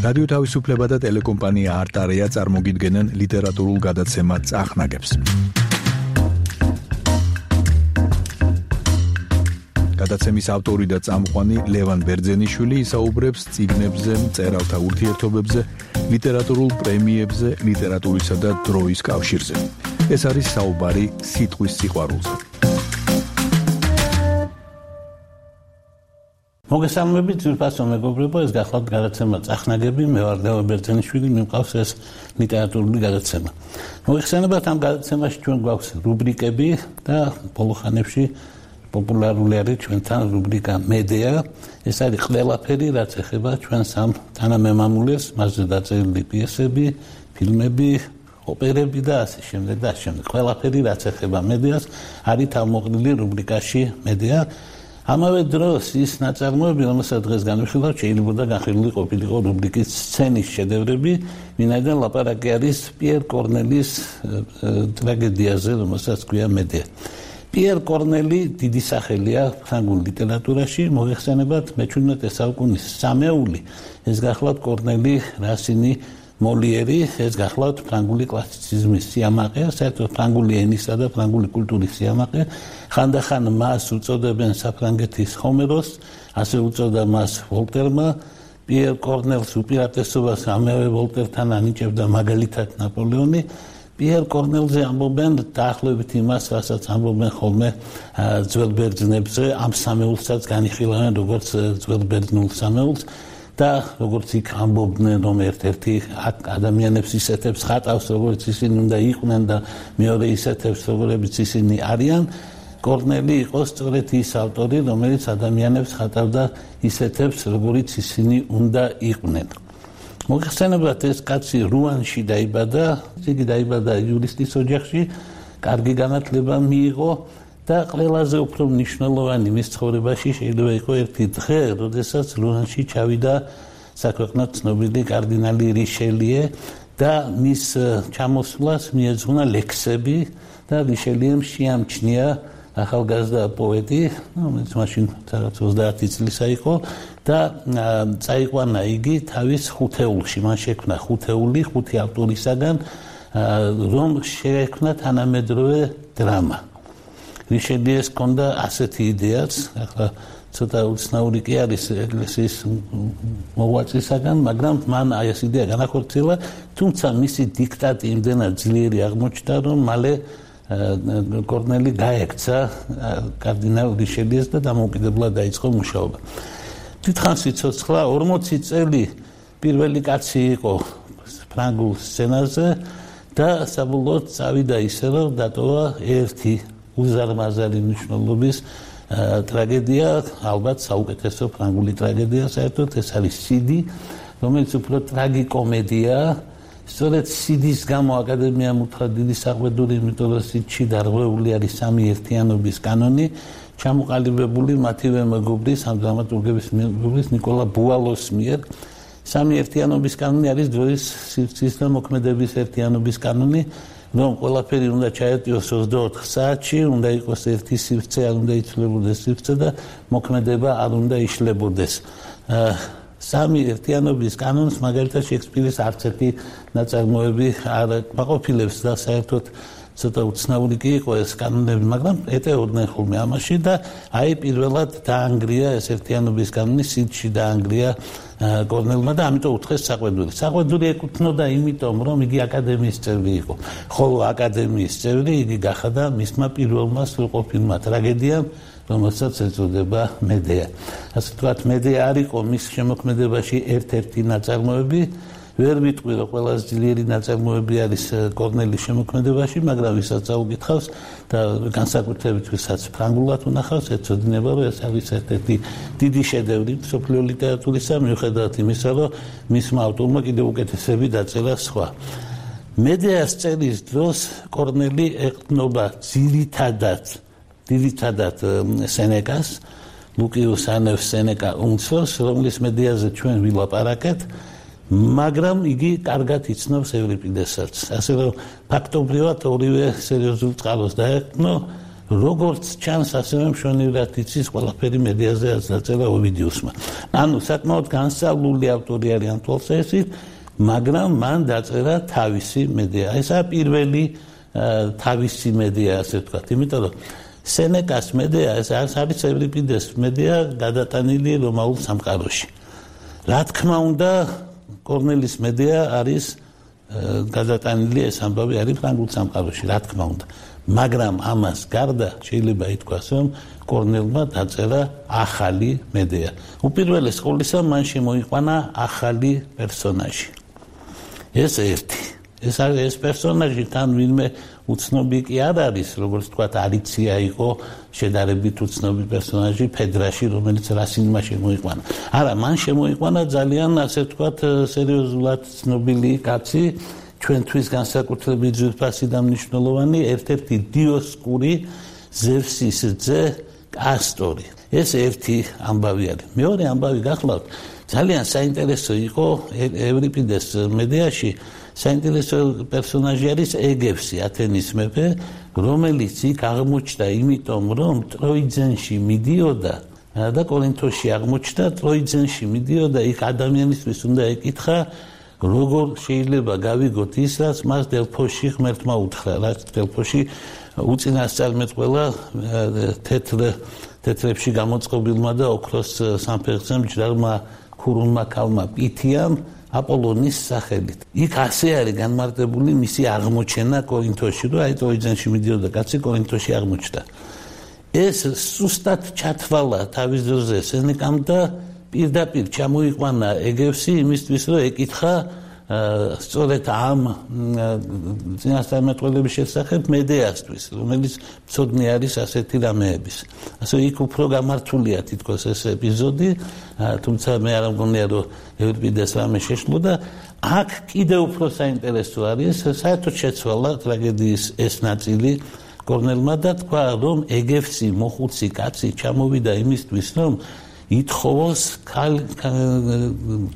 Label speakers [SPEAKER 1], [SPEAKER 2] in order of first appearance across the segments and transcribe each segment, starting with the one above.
[SPEAKER 1] რადიო თავისუფლება და ტელეკომპანია არტარეა წარმოგიდგენენ ლიტერატურულ გადაცემა წახნაგებს. გადაცემის ავტორი და წამყვანი ლევან ბერძენიშვილი ისაუბრებს წიგნებზე, მწერალთა ურთიერთობებზე, ლიტერატურულ პრემიებზე, ლიტერატურისა და დროის კავშირზე. ეს არის საუბარი სიტყვის სიყვარულზე.
[SPEAKER 2] მოგესალმებით, ძვირფასო მეგობრებო, ეს გახლავთ გადაცემა წახნაგები, მე ვარ ლევან ბერძენიშვილი, მიმყავს ეს ლიტერატურული გადაცემა. მოგეხსენებათ, ამ გადაცემაში ჩვენ გვაქვს რუბრიკები და ბოლო ხანებში პოპულარული არის ჩვენთან რუბრიკა მედია. ეს არის ყველაფერი, რაც ეხება ჩვენს ამ თანამემამულეს, მასზე დაწერილი პიესები, ფილმები, ოპერები და ასე შემდეგ და ასე შემდეგ. ყველაფერი, რაც ეხება მედიას, არის თავმოყრილი რუბრიკაში მედია. ამავე დროს ის ნაწარმოები, რომელსაც დღეს განვიხილავთ, შეიძლება განხილული ყოფილიყო რუბრიკის სცენის შედევრები, ვინაიდან ლაპარაკი არის პიერ კორნელის ტრაგედიაზე, რომელსაც ქვია მედია. პიერ კორნელი დიდი სახელია ფრანგულ ლიტერატურაში, მოიხსენებათ მე-17 საუკუნის სამეული, ეს გახლავთ კორნელი, რასინი, მოლიერი, ეს გახლავთ ფრანგული კლასიციზმის სიამაყე, საერთოდ ფრანგული ენისა და ფრანგული კულტურის სიამაყე. ხანდახან მას უწოდებენ საფრანგეთის ჰომეროს, ასე უწოდა მას ვოლტერმა. პიერ კორნელს უპირატესობას ამავე ვოლტერთან ანიჭებდა მაგალითად ნაპოლეონი. პიერ კორნელზე ამბობენ დაახლოებით იმას, რასაც ამბობენ ხოლმე ძველ ბერძნებზე, ამ სამეულსაც განიხილავენ როგორც ძველ ბერძნულ სამეულს და როგორც იქ ამბობდნენ, რომ ერთ-ერთი ადამიანებს ისეთებს ხატავს, როგორც ისინი უნდა იყვნენ და მეორე ისეთებს, როგორებიც ისინი არიან. კორნელი იყო სწორედ ის ავტორი, რომელიც ადამიანებს ხატავდა ისეთებს, როგორიც ისინი უნდა იყვნენ. მოგეხსენებათ, ეს კაცი რუანში დაიბადა, იგი დაიბადა იურისტის ოჯახში, კარგი განათლება მიიღო და ყველაზე უფრო მნიშვნელოვანი მის ცხოვრებაში შეიძლება იყოს ერთი დღე, როდესაც რუანში ჩავიდა საქვეყნოდ ცნობილი კარდინალი რიშელიე და მის ჩამოსვლას მიეძღვნა ლექსები და რიშელიემ შეამჩნია ახალგაზრდა პოეტი, რომელიც მაშინ 30 წლისა იყო და წაიყვანა იგი თავის ხუთეულში, მან შექმნა ხუთეული, ხუთი ავტორისაგან, რომ შეექმნა თანამედროვე დრამა. რიშელიეს ჰქონდა ასეთი იდეაც, ახლა ცოტა უცნაური კი არის ეკლესიის მოღვაწისაგან, მაგრამ მან ეს იდეა განახორციელა, თუმცა მისი დიქტატი იმდენად ძლიერი აღმოჩნდა, რომ მალე კორნელი გაექცა კარდინალ რიშელიეს და დამოუკიდებლად დაიწყო მუშაობა. დიდხანს სიცოცხლა 40 წელი პირველი კაცი იყო ფრანგულ სცენაზე და საბოლოოდ წავიდა ისე, რომ დატოვა ერთი უზარმაზარი მნიშვნელობის ტრაგედია, ალბათ საუკეთესო ფრანგული ტრაგედია საერთოდ, ეს არის სიდი, რომელიც უფრო ტრაგიკომედიაა. სწორედ სიდის გამო აკადემიამ უთხრა დიდი საყვედური, იმიტომ რომ სიდში დარღვეული არის სამი ერთიანობის კანონი, ჩამოყალიბებული მათივე მეგობრის, ამ დრამატურგების მეგობრის ნიკოლა ბუალოს მიერ. სამი ერთიანობის კანონი არის დროის სივრცის და მოქმედების ერთიანობის კანონი, რომ ყველაფერი უნდა ჩაეტიოს 24 საათში, უნდა იყოს ერთი სივრცე, არ უნდა იცვლებოდეს სივრცე და მოქმედება არ უნდა იშლებოდეს. სამი ერთიანობის კანონს მაგალითად შექსპირის არც ერთი ნაწარმოები არ აკმაყოფილებს და საერთოდ ცოტა უცნაური კი იყო ეს კანონები, მაგრამ ეტეოდნენ ხოლმე ამაში და აი პირველად დაანგრია ეს ერთიანობის კანონი, სიდში დაანგრია კორნელმა და ამიტომ უთხრეს საყვედური. საყვედური ეკუთვნოდა იმიტომ, რომ იგი აკადემიის წევრი იყო. ხოლო აკადემიის წევრი იგი გახადა მისმა პირველმა სრულყოფილმა ტრაგედიამ, რომელსაც ეწოდება მედია. ასე ვთქვათ, მედია არ იყო მის შემოქმედებაში ერთ-ერთი ნაწარმოები, ვერ ვიტყვი, რომ ყველაზე ძლიერი ნაწარმოები არის კორნელის შემოქმედებაში, მაგრამ ვისაც წაუკითხავს და განსაკუთრებით ვისაც ფრანგულად უნახავს, ეცოდინება, რომ ეს არის ერთ-ერთი დიდი შედევრი მსოფლიო ლიტერატურისა, მიუხედავად იმისა, რომ მისმა ავტორმა კიდევ უკეთესები დაწერა სხვა. მედიას წერის დროს კორნელი ეყრდნობა ძირითადად სენეკას, ლუკიუს ანევს სენეკა უმცროს, რომლის მედიაზე ჩვენ ვილაპარაკეთ, მაგრამ იგი კარგად იცნობს ევრიპიდესაც. ასე რომ ფაქტობრივად ორივე სერიოზულ წყაროს დაეყრდნო როგორც ჩანს, ასევე მშვენივრად იცის ყველაფერი მედიაზე დაწერა ოვიდიუსმა. ანუ საკმაოდ განსწავლული ავტორი არის ამ თვალსაზრისით, მაგრამ მან დაწერა თავისი მედია. ესაა პირველი თავისი მედია, ასე ვთქვათ, იმიტომ რომ სენეკას მედია, ეს არის ევრიპიდეს მედია გადატანილი რომაულ სამყაროში. რა თქმა უნდა, კორნელის მედია არის გადატანილი, ეს ამბავი არის ფრანგულ სამყაროში, რა თქმა უნდა. მაგრამ ამას გარდა შეიძლება ითქვას, რომ კორნელმა დაწერა ახალი მედია. უპირველეს ყოვლისა, მან შემოიყვანა ახალი პერსონაჟი. ეს ერთი. ეს პერსონაჟი თან ვინმე უცნობი კი არ არის, როგორც თქვა, არიცია იყო შედარებით უცნობი პერსონაჟი ფედრაში, რომელიც რასინმა შემოიყვანა. არა, მან შემოიყვანა ძალიან, ასე ვთქვა, სერიოზულად ცნობილი კაცი, ჩვენთვის განსაკუთრებით ძვირფასი და მნიშვნელოვანი, ერთ-ერთი დიოსკური ზევსის ძე კასტორი. ეს ერთი ამბავი არის. მეორე ამბავი გახლავთ, ძალიან საინტერესო იყო ევრიპიდეს მედიაში, საინტერესო პერსონაჟი არის ეგევსი, ათენის მეფე, რომელიც იქ აღმოჩნდა იმიტომ, რომ ტროიძენში მიდიოდა და კორინთოში აღმოჩნდა, ტროიძენში მიდიოდა, იქ ადამიანისთვის უნდა ეკითხა, როგორ შეიძლება გავიგოთ ის, რაც მას დელფოში ღმერთმა უთხრა, რაც დელფოში უწინასწარმეტყველა თეთრებში გამოწყობილმა და ოქროს სამფეხზე მჯდარმა ქურუმმა ქალმა პითიამ აპოლონის სახელით. იქ ასე არის განმარტებული მისი აღმოჩენა კორინთოში, რომ აი ტროიძენში მიდიოდა კაცი, კორინთოში აღმოჩნდა. ეს სუსტად ჩათვალა თავის დროზე სენეკამ და პირდაპირ ჩამოიყვანა ეგევსი იმისთვის, რომ ეკითხა სწორედ ამ წინასწარმეტყველების შესახებ მედეასთვის, რომელიც მცოდნე არის ასეთი რამეების. ასე იქ უფრო გამართულია თითქოს ეს ეპიზოდი, თუმცა მე არ მგონია, რომ ევრიპიდეს რამე შეშლო და აქ კიდევ უფრო საინტერესო არის, საერთოდ შეცვალა ტრაგედიის ეს ნაწილი კორნელმა და თქვა, რომ ეგევსი მოხუცი კაცი ჩამოვიდა იმისთვის, რომ ითხოვოს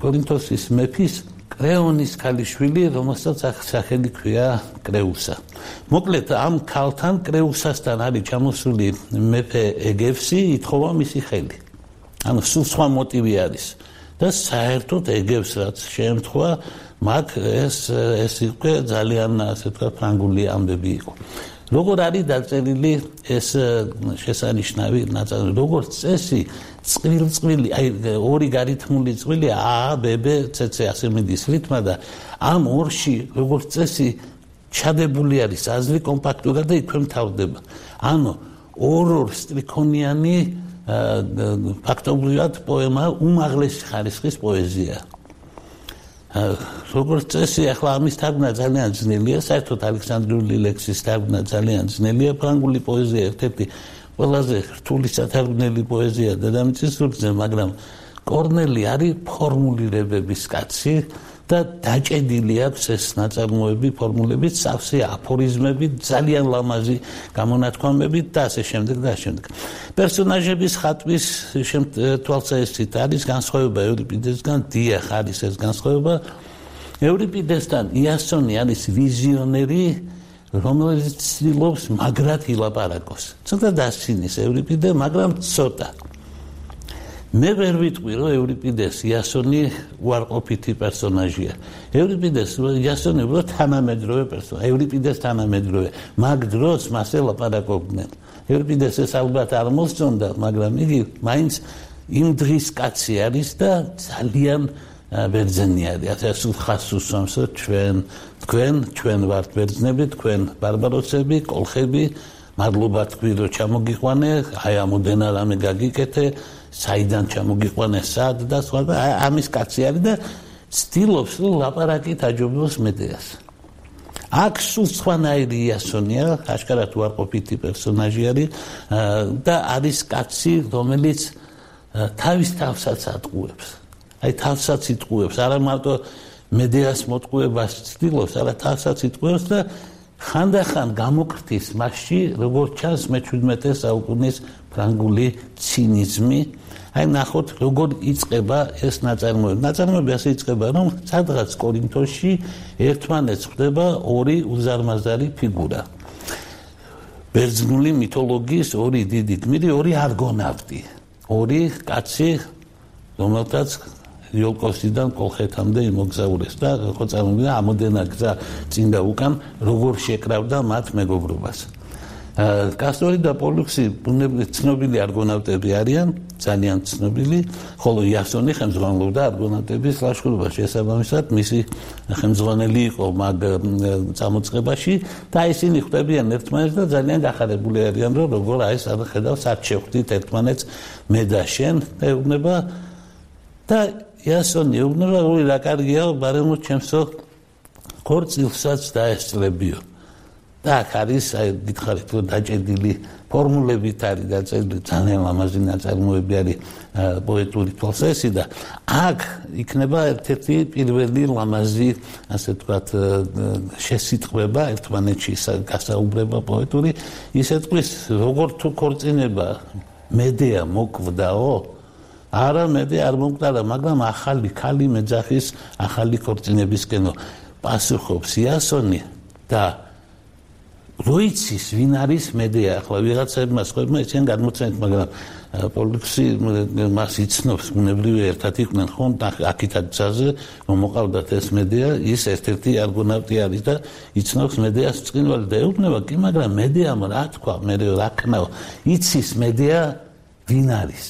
[SPEAKER 2] კორინთოსის მეფის კრეონის ქალიშვილი, რომელსაც სახელი ქვია კრეუსა. მოკლედ ამ ქალთან კრეუსასთან არის ჩამოსული მეფე ეგევსი, ითხოვა მისი ხელი. ანუ სულ სხვა მოტივი არის. და საერთოდ ეგევს რაც შეემთხვა, მაგ ეს იყო ძალიან, ასე ვთქვათ, ფრანგული ამბები იყო. როგორ არის დაწერილი ეს შესანიშნავი ნაწარმოები, როგორც წესი, წყვილი, აი ორი გარითმული წყვილი A, B, B, C, C ასე მიდის რითმა და ამ ორში როგორც წესი ჩადებული არის აზრი კომპაქტურად და იქვე მთავრდება. ანუ ორ სტრიქონიანი ფაქტობრივად პოემა უმაღლესი ხარისხის პოეზია. როგორც წესი, ახლა ამის თარგმნა ძალიან ძნელია, საერთოდ ალექსანდრიული ლექსის თარგმნა ძალიან ძნელია, ფრანგული პოეზია ერთ-ერთი ყველაზე რთული სათარგმნელი პოეზია დედამიწის ზურგზე, მაგრამ კორნელი არის ფორმულირებების კაცი და დაჭედილი აქვს ეს ნაწარმოები ფორმულებით, სავსე აფორიზმებით, ძალიან ლამაზი გამონათქვამებით და ასე შემდეგ და ასე შემდეგ. პერსონაჟების ხატვის თვალსაზრისით არის განსხვავება ევრიპიდესგან, დიახ არის ეს განსხვავება. ევრიპიდესთან იასონი არის ვიზიონერი, რომელიც ცდილობს მაგრად ილაპარაკოს. ცოტა დასცინის ევრიპიდე, მაგრამ ცოტა. მე ვერ ვიტყვი, რომ ევრიპიდეს იასონი უარყოფითი პერსონაჟია. ევრიპიდეს იასონი უბრალოდ თანამედროვე პერსონაჟია. ევრიპიდეს თანამედროვე. მაგ დროს მას ელაპარაკობდნენ. ევრიპიდეს ეს ალბათ არ მოსწონდა, მაგრამ იგი მაინც იმ დღის კაცი არის და ძალიან ბერძენი არის. ასე სულხას უსვამს, თქვენ ვართ ბერძნები, თქვენ ბარბაროსები, კოლხები, მადლობა თქვი, რომ ჩამოგიყვანე, აი ამოდენა რამე გაგიკეთე, საიდან ჩამოგიყვანე, სად და სხვა და ამის კაცი არის და ცდილობს, რომ ლაპარაკით აჯობოს მედეას. აქ სულ სხვანაირი იასონია, აშკარად უარყოფითი პერსონაჟი არის და არის კაცი, რომელიც თავის თავსაც ატყუებს. აი თავსაც იტყუებს, არა მარტო მედეას მოტყუებას ცდილობს, არა თავსაც იტყუებს და ხანდახან გამოკრთის მასში, როგორც ჩანს მე-17 საუკუნის ფრანგული ცინიზმი. აი ნახოთ, როგორ იწყება ეს ნაწარმოები. ნაწარმოები ასე იწყება, რომ სადღაც კორინთოში ერთმანეთს ხვდება ორი უზარმაზარი ფიგურა. ბერძნული მითოლოგიის ორი დიდი გმირი, ორი არგონავტი, ორი კაცი, რომელთაც იოლკოსიდან კოლხეთამდე იმოგზაურეს და ხო წარმოვიდგინე ამოდენა გზა წინ და უკან როგორ შეკრავდა მათ მეგობრობას. კასტორი და პოლიქსი ბუნებრივად ცნობილი არგონავტები არიან, ძალიან ცნობილი, ხოლო იასონი ხელმძღვანელობდა არგონავტების ლაშქრობას. შესაბამისად, მისი ხელმძღვანელი იყო მაგ წამოწყებაში და ისინი ხვდებიან ერთმანეთს და ძალიან გახარებული არიან, რომ როგორ აი სად ხედავს, სად შევხვდით ერთმანეთს მე და შენ, ეუბნება და იასონი ეუბნება, რომ რა კარგია, ბარემო ჩემსო ქორწილსაც დაესწრებიო. და აქ არის აი გითხარით რომ დაჭედილი ფორმულებით არის დაწერილი ძალიან ლამაზი ნაწარმოები არის პოეტური თვალსაზრისით და აქ იქნება ერთ-ერთი პირველი ლამაზი ასე ვთქვათ შესიტყვება ერთმანეთში გასაუბრება პოეტური ისე თქვის როგორ თუ ქორწინება მედეა მოკვდაო არა მედე არ მომკვდარა მაგრამ ახალი ქალი მეძახის ახალი ქორწინებისკენო პასუხობს იასონი და როიცის ვინ არის მედეა ახლა ვიღაცებმა სხვებმა ისინი გადმოცემთ მაგრამ პოლიქსი მას იცნობს ბუნებრივი ერთად იყვნენ ხო აქითაც გზაზე რომ მოყავდათ ეს მედეა ის ერთ-ერთი არგონავტი არის და იცნობს მედეას წინვალი და ეუბნება კი მაგრამ მედეამ რა თქვა მე რა ქნაო იცის მედეა ვინ არის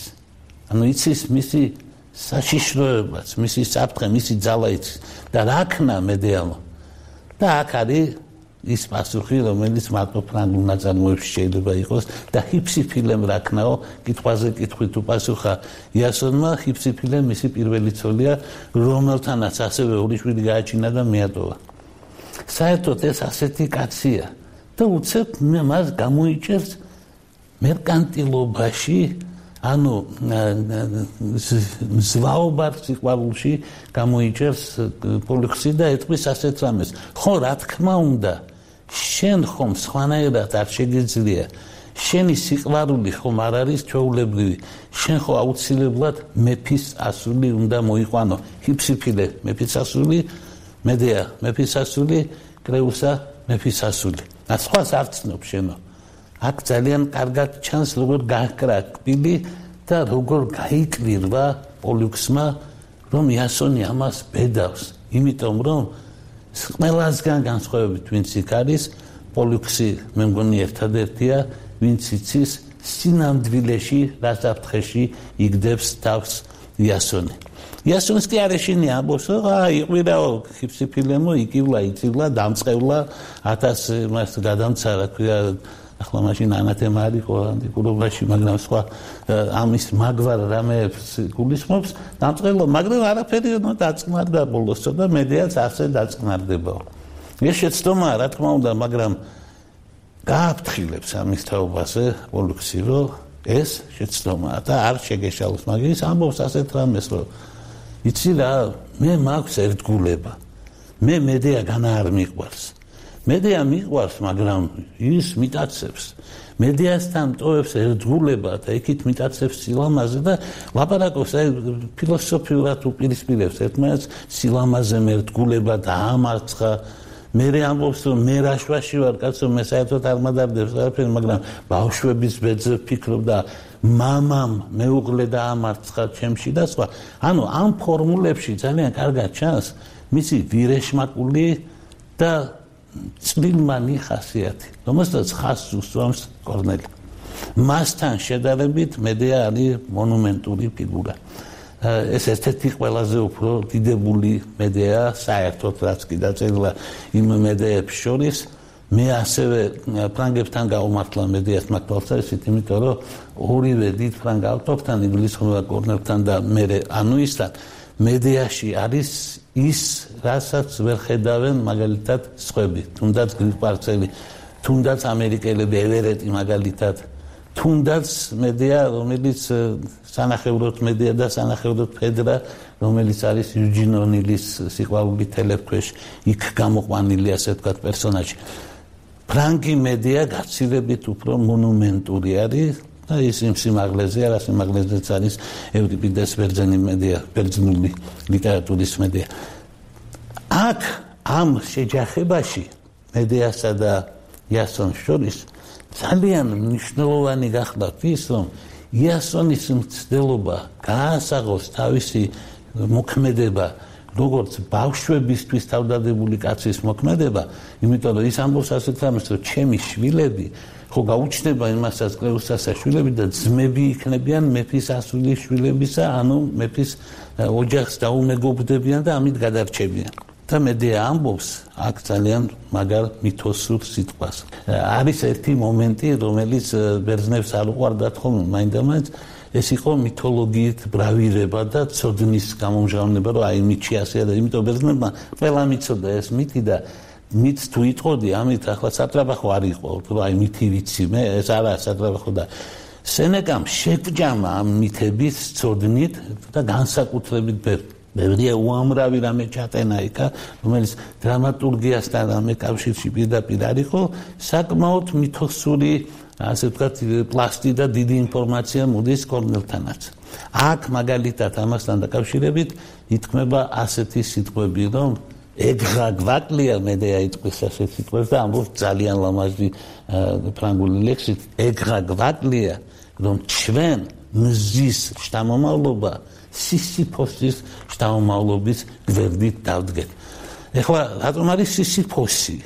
[SPEAKER 2] ანუ იცის მისი საშიშროებაც მისი საფრთხე მისი ძალა იცის და რა ქნა მედეამ და აქ არის ის პასუხი რომელიც მარტო ფრანგულ ნაწარმოებში შეიძლება იყოს და ჰიფსიფილემ რა ქნაო კითხვაზე კითხვით უპასუხა იასონმა ჰიფსიფილემ მისი პირველი ცოლია რომელთანაც ასევე ორი შვილი გააჩინა და მიატოვა საერთოდ ეს ასეთი კაცია და უცებ მას გამოიჭერს მერკანტილობაში ანუ ზვაობარ სიყვარულში გამოიჭერს პოლიქსი და ეთქვის ასეთ რამეს ხო რა თქმა უნდა შენ ხომ სხვანაირად არ შეგიძლია შენი სიყვარული ხომ არ არის ჩვეულებრივი შენ ხო აუცილებლად მეფის ასული უნდა მოიყვანო ჰიფსიფილე მეფის ასული მედეა მეფის ასული კრეუსა მეფის ასული და სხვას არ ცნობ შენო აქ ძალიან კარგად ჩანს როგორ გააკრა კბილი და როგორ გაიკვირვა პოლიქსმა რომ იასონი ამას ბედავს იმიტომ რომ ყველასგან განსხვავებით ვინც იქ არის პოლიქსი მე მგონი ერთადერთია ვინც იცის სინამდვილეში რასაფრთხეში იგდებს თავს იასონი იასონს კი არ ეშინია ამბობს იყვირაო ჰიფსიფილემო იკივლა იწივლა დამწყევლა 1000 მას გადამცა რა ქვია ახლა მაშინ ანათემა არის ანტიკურობაში მაგრამ სხვა ამის მაგვარ რამეებს გულისხმობს დამწყებლა მაგრამ არაფერი დაწყნარდა ბოლოს და მედეაც ასე დაწყნარდებაო ეს შეცდომაა რა თქმა უნდა მაგრამ გააფრთხილებს ამის თაობაზე პოლიქსი რომ ეს შეცდომაა და არ შეგეშალოს მაგის ამბობს ასეთ რამეს რომ იცი რა მე მაქვს ერთგულება მე მედეაგან არ მიყვარს მედეა მიყვარს მაგრამ ის მიტაცებს მედეასთან ტოვებს ერთგულება და იქით მიტაცებს სილამაზე და ლაპარაკობს აი ფილოსოფიურად უპირისპირებს ერთმანეთს სილამაზე ერთგულება და ამარცხა მე ამბობს რომ მე რაშვაში ვარ კაცო მე საერთოდ არ მადარდებს არაფერი მაგრამ ბავშვების ბედზე ვფიქრობ და მამამ მეუღლე და ამარცხა ჩემში და სხვა ანუ ამ ფორმულებში ძალიან კარგად ჩანს მისი ვირეშმაკული და წვრილმანი ხასიათი, რომელსაც ხაზს უსვამს კორნელი. მასთან შედარებით მედეა არის მონუმენტური ფიგურა. ეს ერთ-ერთი ყველაზე უფრო დიდებული მედეა საერთოდ რაც კი დაწერილა იმ მედეებს შორის. მე ასევე ფრანგებთან გავმართლა მედეას მაგთვალსაზრისით, იმიტომ რომ ორივე დიდ ფრანგ ავტორთან, ინგლისურმა კორნელთან და მე ანუისთან მედეაში არის ის, რასაც ვერ ხედავენ მაგალითად სხვები, თუნდაც გრიპარცელი, თუნდაც ამერიკელები ევერეტი მაგალითად, თუნდაც მედეა, რომელიც სანახევროდ მედეა და სანახევროდ ფედრა, რომელიც არის იუჯინ ონილის სიყვარული თელეფქვეშ, იქ გამოყვანილი ასე ვთქვათ პერსონაჟი. ფრანგი მედეა გაცილებით უფრო მონუმენტური არის და ის იმ სიმაღლეზე არა სიმაღლეზეც არის ევრიპიდეს ბერძენი მედეა, ბერძნული ლიტერატურის მედეა. აქ ამ შეჯახებაში მედეასა და იასონს შორის ძალიან მნიშვნელოვანი გახლავთ ის, რომ იასონის მცდელობა გაასაღოს თავისი მოქმედება როგორც ბავშვებისთვის თავდადებული კაცის მოქმედება, იმიტომ რომ ის ამბობს ასეთ რამეს, რომ ჩემი შვილები ხო გაუჩნდება იმასაც კრეუსასა შვილები და ძმები იქნებიან მეფის ასული შვილებისა, ანუ მეფის ოჯახს დაუმეგობრდებიან და ამით გადარჩებიან. და მედია ამბობს აქ ძალიან მაგარ მითოსურ სიტყვას. არის ერთი მომენტი, რომელიც ბერძნებს არ უყვარდათ ხოლმე მაინდამაინც, ეს იყო მითოლოგიით ბრავირება და ცოდნის გამომჟღავნება, რომ აი მითი ასეა და იმიტომ ბერძნებმა ყველა მიცოდა ეს მითი და მით თუ იტყოდი, ამით ახლა სატრაბახო არ იყო, რომ აი მითი ვიცი მე, ეს არა სატრაბახო და სენეკამ შეგვჯამა ამ მითების ცოდნით და განსაკუთრებით ბევრია უამრავი რამე ჩატენა იქა, რომელიც დრამატურგიასთან რამე კავშირში პირდაპირ არ იყო, საკმაოდ მითოსური ასე ვთქვათ პლასტი და დიდი ინფორმაცია მოდის კორნელთანაც. აქ მაგალითად ამასთან დაკავშირებით ითქმება ასეთი სიტყვები, რომ ეგრა გვაკლია მედეა იტყვის ასეთ სიტყვებს და ამბობს ძალიან ლამაზი ფრანგული ლექსით, ეგრა გვაკლია, რომ ჩვენ მზის შთამომავლობა სისიფოსის შთამომავლობის გვერდით დავდგეთ. ეხლა რატომ არის სისიფოსი?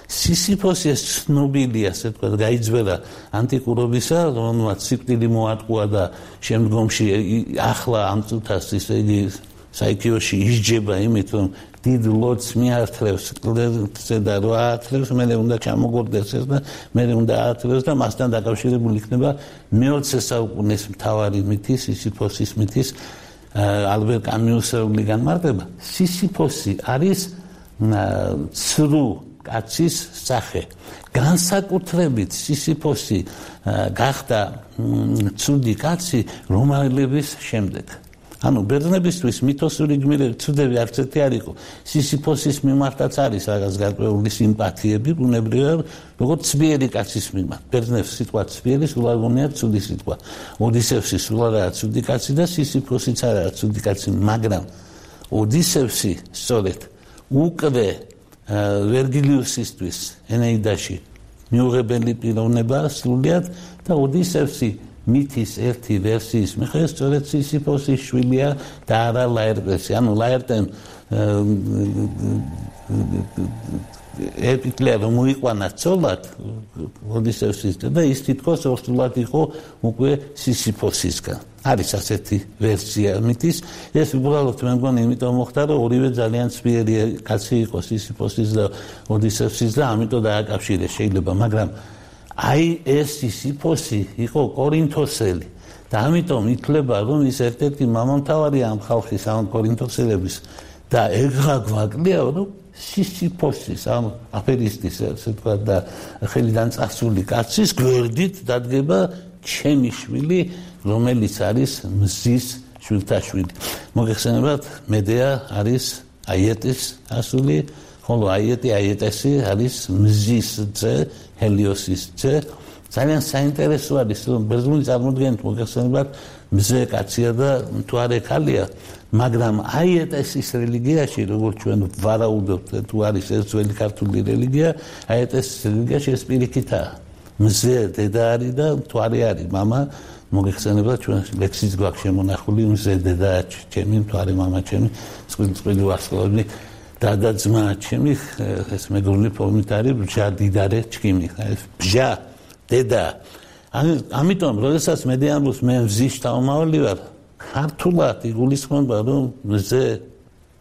[SPEAKER 2] სისიფოსი ეს ცნობილია, ასე ვთქვათ, გაიძვერა ანტიკურობისა, რომელმაც სიკვდილი მოატყუა და შემდგომში ახლა ამ წუთას ისე იგი საიქიოში ისჯება იმით, რომ დიდ ლოდს მიართლევს კლერკზე და რა ათლევს, მერე უნდა ჩამოგორდეს ეს და მერე უნდა აათლევს და მასთან დაკავშირებული იქნება მე-20 საუკუნის მთავარი მითის, სისიფოსის მითის ალბერ კამიუსეული განმარტება. სისიფოსი არის ცრუ კაცის სახე. განსაკუთრებით სისიფოსი გახდა ცუდი კაცი რომაელების შემდეგ. ანუ ბერძნებისთვის მითოსური გმირები ცუდები არც ერთი არ იყო. სისიფოსის მიმართაც არის რაღაც გარკვეული სიმპათიები, ბუნებრივად, როგორც ცბიერი კაცის მიმართ. ბერძნებს სიტყვა ცბიერი სულ არ გონიათ ცუდი სიტყვა. ოდისევსი სულ არაა ცუდი კაცი და სისიფოსიც არაა ცუდი კაცი, მაგრამ ოდისევსი სწორედ უკვე ვერგილიუსისთვის ენეიდაში მიუღებელი პიროვნება სრულიად და ოდისევსი მითის ერთი ვერსიის მიხედვით სწორედ სისიფოსის შვილია და არა ლაერტესი. ანუ ლაერტემ epiclea რომ მოიყვანა ცოლად ოდისევსის და ის თითქოს ორსულად იყო უკვე სისიფოსისგან. არის ასეთი ვერსია მითის. ეს უბრალოდ მე მგონი იმიტომ მოხდა რომ ორივე ძალიან ცბიერი კაცი იყო სისიფოსის და ოდისევსის და ამიტომ დააკავშირეს შეიძლება, მაგრამ აი ეს სისიფოსი იყო კორინთოსელი და ამიტომ ითვლება რომ ის ერთ-ერთი მამამთავარია ამ ხალხის ამ კორინთოსელების და ეგრა გვაკლია რომ სისიფოსის ამ აფერისტის ასე ვთქვათ და ხელიდან წასული კაცის გვერდით დადგება ჩემი შვილი, რომელიც არის მზის შვილთაშვილი. მოგეხსენებათ, მედეა არის აიეტის ასული, ხოლო აიეტესი არის მზის ძე, ჰელიოსის ძე. ძალიან საინტერესო არის, რომ ბერძნული წარმოდგენით მოგეხსენებათ, მზე კაცია და თუ არ ეკალია, მაგრამ აიეტესის რელიგიაში, როგორც ჩვენ ვარაუდობთ, თუ არის ეს ძველი ქართული რელიგია, აიეტესის რელიგიაში ეს პირიქითაა. მზე დედა არის და თუ არ არის მამა, მოგეხსენებათ, ჩვენ ლექსიც გვაქვს შემონახული, მზე დედა ჩემი, თუ არის მამა ჩემი, წყვილ ვარსკვლავები და ძმა ჩემი, ეს მეგრული ფორმით არის ბჟა დიდარე ჩქიმი, ეს ბჟა დედა. ამიტომ, როდესაც მედეამბოს მე მზის შთამომავალი ვარ, ქართულად იგულისხმება, რომ მზე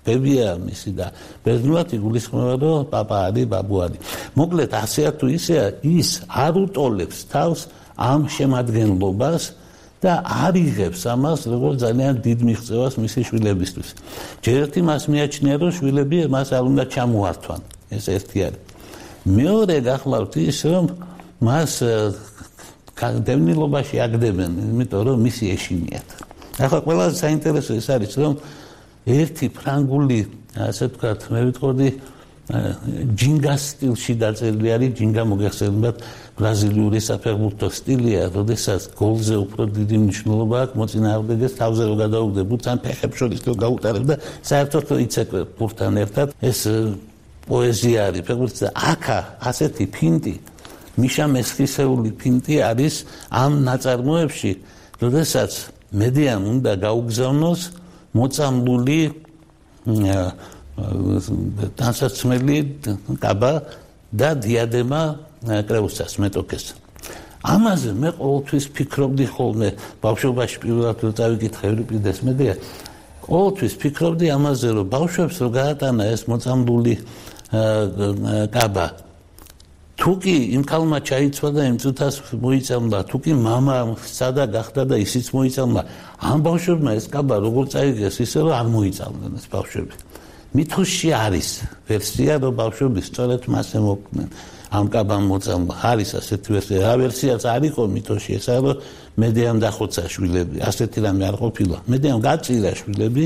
[SPEAKER 2] ბებია მისი და ბერძნულად იგულისხმება, რომ პაპა არის, ბაბუ არის. მოკლედ, ასეა თუ ისეა, ის არ უტოლებს თავს ამ შემადგენლობას და არ იღებს ამას როგორც ძალიან დიდ მიღწევას მისი შვილებისთვის. ჯერ ერთი მას მიაჩნია, რომ შვილები მას არ უნდა ჩამოართვან. ეს ერთი არის. მეორე გახლავთ ის, რომ მას დევნილობაში აგდებენ, იმიტომ რომ მისი ეშინიათ. ახლა ყველაზე საინტერესო ის არის, რომ ერთი ფრანგული, ასე ვთქვათ, მე ვიტყოდი ჯინგას სტილში დაწერილი არის, ჯინგა მოგეხსენებათ, ბრაზილიური საფეხბურთო სტილია, როდესაც გოლზე უფრო დიდი მნიშვნელობა აქვს, მოწინააღმდეგეს თავზე რო გადაუგდებ, ბურთს ან ფეხებს შორის რო გაუტარებ და საერთოდ რო იცეკვე ბურთთან ერთად, ეს პოეზია არის ფეხბურთზე. აქა ასეთი ფინტი მიშა მესხისეული ფინტი არის ამ ნაწარმოებში, როდესაც მედიამ უნდა გაუგზავნოს მოწამლული ტანსაცმელი კაბა და დიადემა კრეუსას მეტოქეს. ამაზე მე ყოველთვის ფიქრობდი ხოლმე, ბავშვობაში პირველად რო წავიკითხე ევრიპიდეს მედია, ყოველთვის ფიქრობდი ამაზე, რომ ბავშვებს რო გაატანა ეს მოწამლული კაბა, თუ კი იმ ქალმა ჩაიცვა და იმ წუთას მოიწამლა, თუ კი მამა სადა გახდა და ისიც მოიწამლა, ამ ბავშვებმა ეს კაბა როგორ წაიგეს, ისე რომ არ მოიწამდნენ ეს ბავშვები. მითოში არის ვერსია, რომ ბავშვები სწორედ მასე მოკვდნენ. ამ კაბამ მოწამლა. არის ასეთი ვერსია. რა ვერსიაც არ იყო მითოში, ესაა რომ მედიამ დახოცა შვილები. ასეთი რამე არ ყოფილა. მედიამ გაწირა შვილები,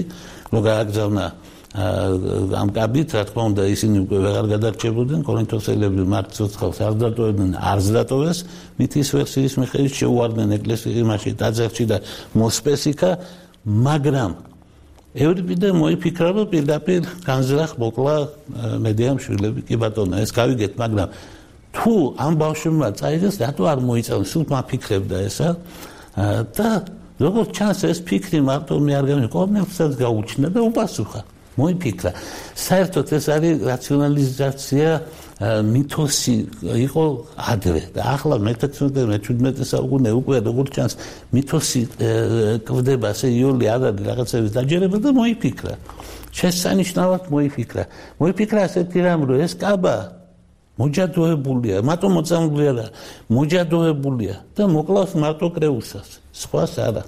[SPEAKER 2] რომ გააგზავნა ამ კაბით, რა თქმა უნდა, ისინი უკვე ვეღარ გადარჩებოდნენ, კორინთოსელები მართ ცოცხალს არ დატოვებდნენ, არც დატოვეს, მითის ვერსიის მიხედვით შეუვარდნენ ეკლესიის იმაში დაძერჩი და მოსპესიქა, მაგრამ ევრიპიდე მოიფიქრა, რომ პირდაპირ განზრახ მოკლა მედიამ შვილები, კი ბატონო, ეს გავიგეთ, მაგრამ თუ ამ ბავშვებმა წაიღეს, რატო არ მოიწამეს? სულ მაფიქრებდა ესა და როგორც ჩანს, ეს ფიქრი მარტო მე არ გამი, ყოველთვის გაუჩნდა და უპასუხა. მოიფიქრა. საერთოდ ეს არის რაციონალიზაცია მითოსი იყო ადრე და ახლა მე-16-მე-17 საუკუნე უკვე როგორც ჩანს მითოსი კვდება, ასე იოლი არ არის რაღაცების დაჯერება და მოიფიქრა. შესანიშნავად მოიფიქრა. მოიფიქრა ასეთი რამ, რომ ეს კაბა მოჯადოებულია, მარტო მოწამლული არა, მოჯადოებულია და მოკლავს მარტო კრეუსას, სხვას არა.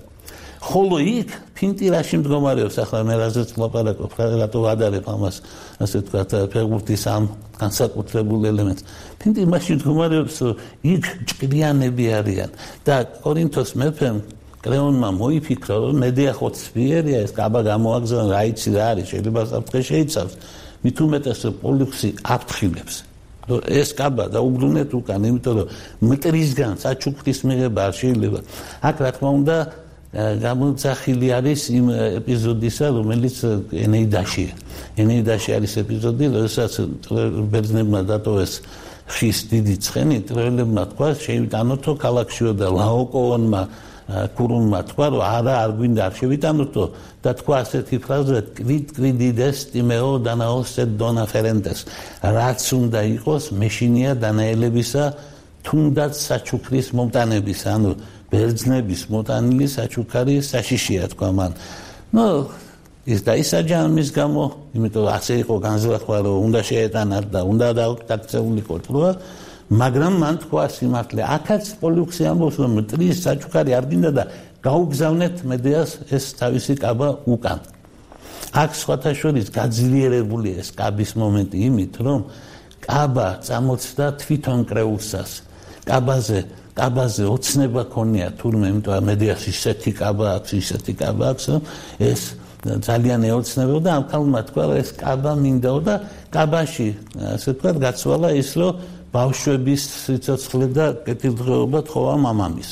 [SPEAKER 2] ხოლო იქ ფინტირაში მდგომარეობს, ახლა მე რაზეც ვლაპარაკობ, რატო ვადარებ ამას, ასე ვთქვათ, ფეხბურთის ამ განსაკუთრებულ ელემენტს. ფინტი მაშინ მდგომარეობს, რომ იქ ჭკვიანები არიან და კორინთოს მეფემ კრეონმა მოიფიქრა, რომ მედია ხო ცვიერია, ეს კაბა გამოაგზავნა, რა იცი რა არის, შეიძლება საფრთხე შეიცავს, მით უმეტეს რომ პოლიქსი აფრთხილებს. ეს კაბა დაუბრუნეთ უკან, იმიტომ რომ მტრისგან საჩუქრის მიღება არ შეიძლება. აქ რა თქმა უნდა გამოძახილი არის იმ ეპიზოდისა, რომელიც ენეიდაშია. ენეიდაში არის ეპიზოდი, როდესაც ბერძნებმა დატოვეს ხის დიდი ცხენი, ტროელებმა თქვა, შევიტანოთო ქალაქშიო და ლაოკოონმა კურუნმა თქვა, რომ არა, არ გვინდა არ შევიტანოთო და თქვა ასეთი ფრაზა, კვიდიდეს ტიმეო დანაოსეთ დონა ფერენტეს. რაც უნდა იყოს, მეშინია დანაელებისა, თუნდაც საჩუქრის მომტანებისა, ანუ ბერძნების მოტანილი საჩუქარი საშიშია თქვა მან. ის დაისაჯა ამის გამო, იმიტომ ასე იყო განზრახვა, რომ უნდა შეეტანათ და უნდა დაქცეულიყო თქო, მაგრამ მან თქვა სიმართლე. აქაც პოლიქსი ამბობს, რომ მტრის საჩუქარი არ გინდა და გაუგზავნეთ მედიას ეს თავისი კაბა უკან. აქ სხვათა შორის გაძლიერებული ეს კაბის მომენტი იმით, რომ კაბა წამოწდა თვითონ კრეუსას. კაბაზე ოცნება ქონია თურმე, იმიტომ რომ მედიას ისეთი კაბა აქვს, ეს ძალიან ეოცნებოდა და ამ ქალმა თქვა, რომ ეს კაბა მინდაო და კაბაში, ასე ვთქვათ, გაცვალა ის, რომ ბავშვების სიცოცხლე და კეთილდღეობა თხოვა მამამის.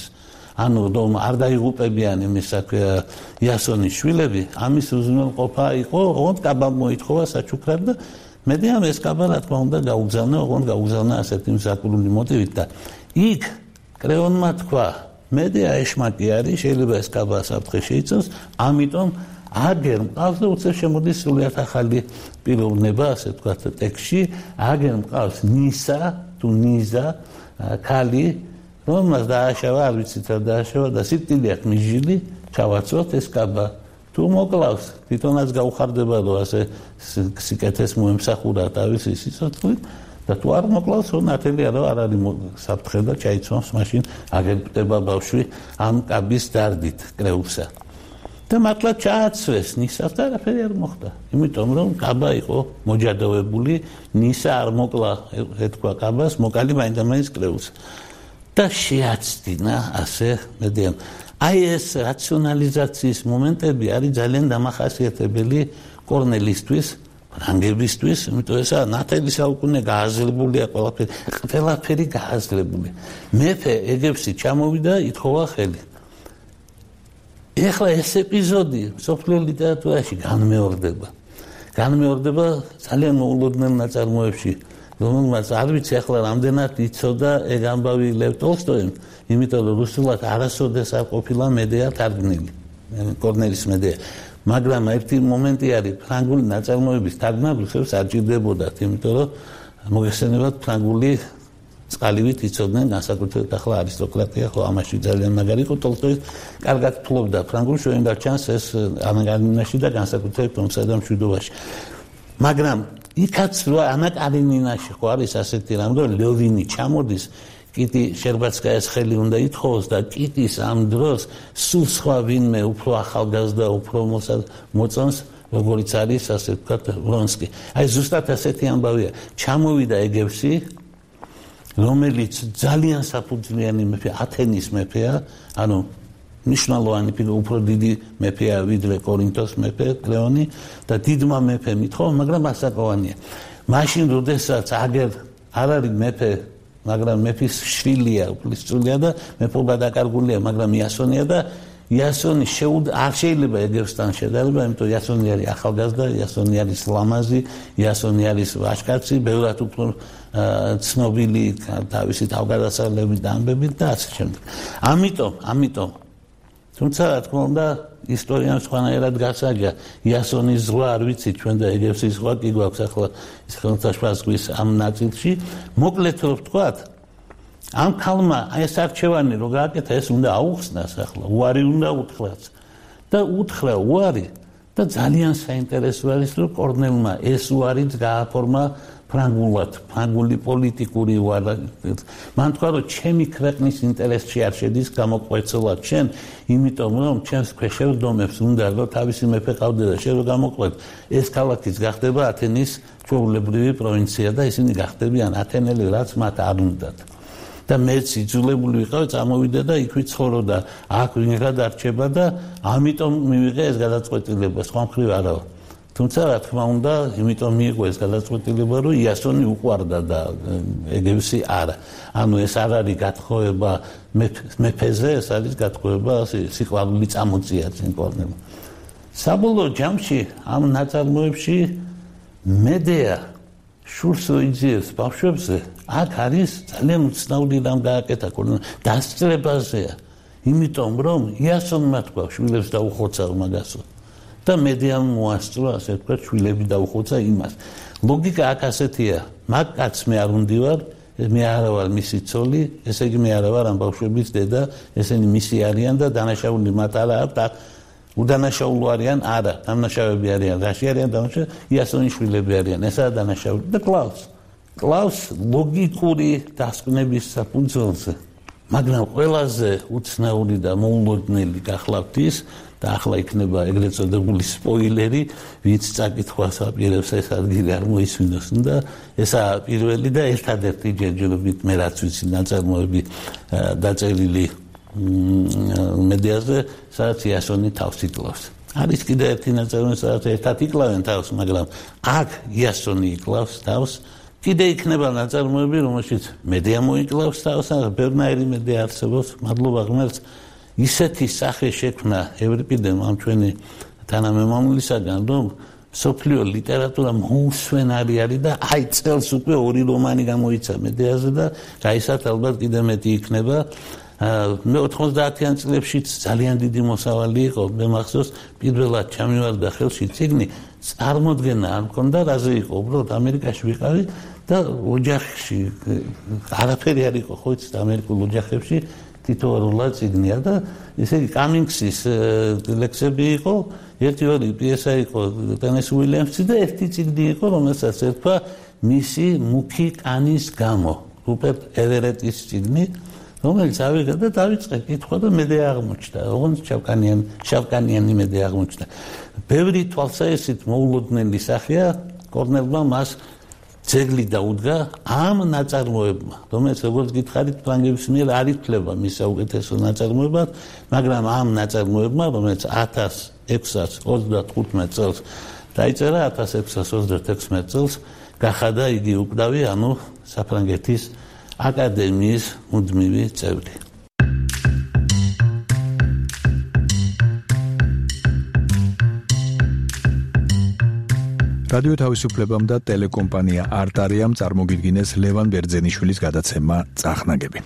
[SPEAKER 2] ანუ რომ არ დაიღუპებიან იმის იასონის შვილები, ამის უზრუნველყოფა იყო, ოღონდ კაბა მოითხოვა საჩუქრად და მედიამ ეს კაბა რა თქმა უნდა გაუგზავნა ასეთი მსაკურული მოტივით და იქ კრეონმა თქვა, მედია ეშმაკი არის, შეიძლება ეს კაბა საფრთხე შეიცავს, ამიტომ აგერ მყავს და უცებ შემოდის სრულიად ახალი პიროვნება, ასე ვთქვათ, ტექსტში, აგერ მყავს ნიზა, ქალი, რომელმაც დააშავა, არ ვიცით რა დააშავა და სიკვდილი აქვს მიჟილი, ჩავაცვათ ეს კაბა. თუ მოკლავს, თვითონაც გაუხარდება, რომ ასე სიკეთეს მოემსახურა თავისი სიცოცხლით და თუ არ მოკლავს, ნათელია, რომ არ არის საფრთხე და ჩაიცვამს მაშინ აგებდება ბავშვი ამ კაბის დარდით კრეუსა. და მართლა ჩააცვეს ნისას და არაფერი არ მოხდა. იმიტომ რომ კაბა იყო მოჯადოვებული, ნისა არ მოკლა, ეთქვა კაბას, მოკალი მაინდა-მაინც კრეუსა. და შეაცდინა ასე მედიამ. აი ეს რაციონალიზაციის მომენტები არის ძალიან დამახასიათებელი კორნელისთვის, ფრანგებისთვის, იმიტომ ესა ნათელი საუკუნე გააზრებულია ყველაფერი გააზრებული. მეფე ეგებში ჩამოვიდა, ითხოვა ხელი. ეხლა ეს ეპიზოდი სოფლიო ლიტერატურაში განმეორდება ძალიან მოულოდნელ ნაწარმოებში. რომელმაც არ ვიცი ახლა რამდენად იცოდა ეგ ამბავი ლევ ტოლსტოიმ, იმიტომ რომ რუსულად არასოდეს არ ყოფილა მედეა თარგმნილი, კორნელის მედეა. მაგრამ ერთი მომენტი არის, ფრანგული ნაწარმოების თარგმნა რუსებს არ ჭირდებოდათ, იმიტომ რომ მოგეხსენებათ ფრანგული წყალივით იცოდნენ განსაკუთრებით ახლა არისტოკრატია ხო ამაში ძალიან მაგარი იყო ტოლსტოი კარგად ფლობდა ფრანგულს შევიდა ჩანს ეს ანაკარინინაში და განსაკუთრებით ომსა და მშვიდობაში მაგრამ იქაც რა ანაკარინინაში ხო არის ასეთი რამ რომ ლევინი ჩამოდის კიტი შერბაცკაიას ხელი უნდა ითხოვოს და კიტის ამ დროს სულ სხვა ვინმე უფრო ახალგაზრდა უფრო მოწონს როგორიც არის ასე ვთქვათ ვრონსკი აი ზუსტად ასეთი ამბავია ჩამოვიდა ეგევსი რომელიც ძალიან საფუძვლიანი მეფე ათენის მეფეა ანუ ნიშნულოვანი უფრო დიდი მეფეა ვიდრე კორინთოს მეფე კლეონი და დიდმა მეფემ ითხოვა მაგრამ ასაკოვანია მაშინ როდესაც აგერ არ არის მეფე მაგრამ მეფის შვილია უფლისწულია და მეფობა დაკარგულია მაგრამ იასონია და იასონი არ შეიძლება ეგევსთან შედარება იმიტომ იასონი არის ახალგაზრდა იასონი არის ლამაზი იასონი არის ვაჟკაცი ბევრად უფრო ცნობილი თავისი თავგადასავლებით და ამბებით და ასე შემდეგ ამიტომ თუმცა რა თქმა უნდა ისტორიამ სხვანაირად გასაგია იასონის ზღვა არ ვიცი ჩვენ და ეგევსის ზღვა კი გვაქვს ახლა ის ხელმწიფე ზღვის ამ ნაწილში მოკლედ რომ ვთქვათ ამ ქალმა ეს არჩევანი რო გააკეთა ეს უნდა აუხსნას ახლა უარი უნდა უთხრას და უთხრა უარი და ძალიან საინტერესო არის რომ კორნელმა ეს უარიც გააფორმა ფრანგულად ფრანგული პოლიტიკური უარი მან თქვა რომ ჩემი ქვეყნის ინტერესში არ შედის გამოყვეცილად შენ იმიტომ რომ ჩემს ქვეშევრდომებს უნდა რომ თავისი მეფე ყავდე და შენ რო გამოყვეთ ეს ქალაქიც გახდება ათენის ჩვეულებრივი პროვინცია და ისინი გახდებიან ათენელი რაც მათ არ უნდათ და მეც იძულებული ვიყავი წამოვიდე და იქვე ცხოვრობდა აქ ვინღა დარჩება და ამიტომ მივიღე ეს გადაწყვეტილება სხვა მხრივ არა თუმცა რა თქმა უნდა იმიტომ მიიღო ეს გადაწყვეტილება რომ იასონი უყვარდა და ეგევსი არა ანუ ეს არ არის გათხოვება მეფეზე ეს არის გათხოვება სიყვარული წამოწია წინ კორნელმა საბოლოო ჯამში ამ ნაწარმოებში მედეა შურს იძიებს ბავშვებზე აქ არის ძალიან უცნაური რამ გააკეთა დასწრებაზეა იმიტომ რომ იასონმა თქვა შვილებს დაუხოცა მაგასო და მედეამ მოასწრო ასე ვთქვათ შვილები დაუხოცა იმას ლოგიკა აქ ასეთია მაგ კაცს მე არ უნდივარ მე არა ვარ მისი ცოლი ესე იგი მე არა ვარ ამ ბავშვების დედა ესენი მისი არიან და დანაშაული მათ არა აქვს უდანაშაულო არიან არა დანაშაულები არიან რაში არიან დანაშაულები იასონის შვილები არიან ესაა დანაშაული და კლავს ლოგიკური დასკვნების საფუძველზე მაგრამ ყველაზე უცნაური და მოულოდნელი გახლავთ ის და ახლა იქნება ეგრეთ წოდებული სპოილერი ვინც წაკითხვას აპირებს ეს ადგილი არ მოისმინოს და ესაა პირველი და ერთადერთი ჯერჯერობით მე რაც ვიცი ნაწარმოები დაწერილი მედეაზე სადაც იასონი თავს იკლავს არის კიდე ერთი ნაწარმოები სადაც ერთად იკლავენ თავს მაგრამ აქ იასონი იკლავს თავს კიდე იქნება ნაწარმოები რომელშიც მედეა მოიკლავს თავს ბევრნაირი მედეა არსებობს მადლობა ღმერთს ისეთი სახე შექმნა ევრიპიდემ ამ ჩვენი თანამემამულისაგან რომ სოფლიო ლიტერატურა მოუსვენარი არის და აი წელს უკვე 2 რომანი გამოიცა მედეაზე და გაისათ ალბათ კიდე მეტი იქნება მე 90-იან წლებშიც ძალიან დიდი მოსავალი იყო მე მახსოვს პირველად ჩამივარდა ხელში წიგნი წარმოდგენა არ მქონდა რაზე იყო უბრალოდ ამერიკაში ვიყავი და ოჯახში არაფერი არ იყო ხო იცით ამერიკულ ოჯახებში თითოეულა წიგნია და ესე იგი კამინგსის ლექსები იყო ერთი-ორი პიესა იყო ტენეს უილიამსი და ერთი წიგნი იყო რომელსაც ერქვა მისი მუქი კანის გამო რუპერტ ევერეტის წიგნი რომელიც ავიღე და დავიწყე კითხვა და მედეა აღმოჩნდა ოღონდ შავკანიანი მედეა აღმოჩნდა ბევრი თვალსაჩინო მოულოდნელი სახეა კორნელმა მას ძეგლი დაუდგა ამ ნაწარმოებმა რომელიც როგორც გითხარით ფრანგების მიერ არ ითვლება მის საუკეთესო ნაწარმოებად მაგრამ ამ ნაწარმოებმა რომელიც 1635 წელს დაიწერა 1636 წელს გახადა იგი უკვდავი ანუ საფრანგეთის აკადემიის მუდმივი წევრი
[SPEAKER 1] რადიო თავისუფლებამ და ტელეკომპანია არტარიამ წარმოგიდგინეს ლევან ბერძენიშვილის გადაცემა წახნაგები.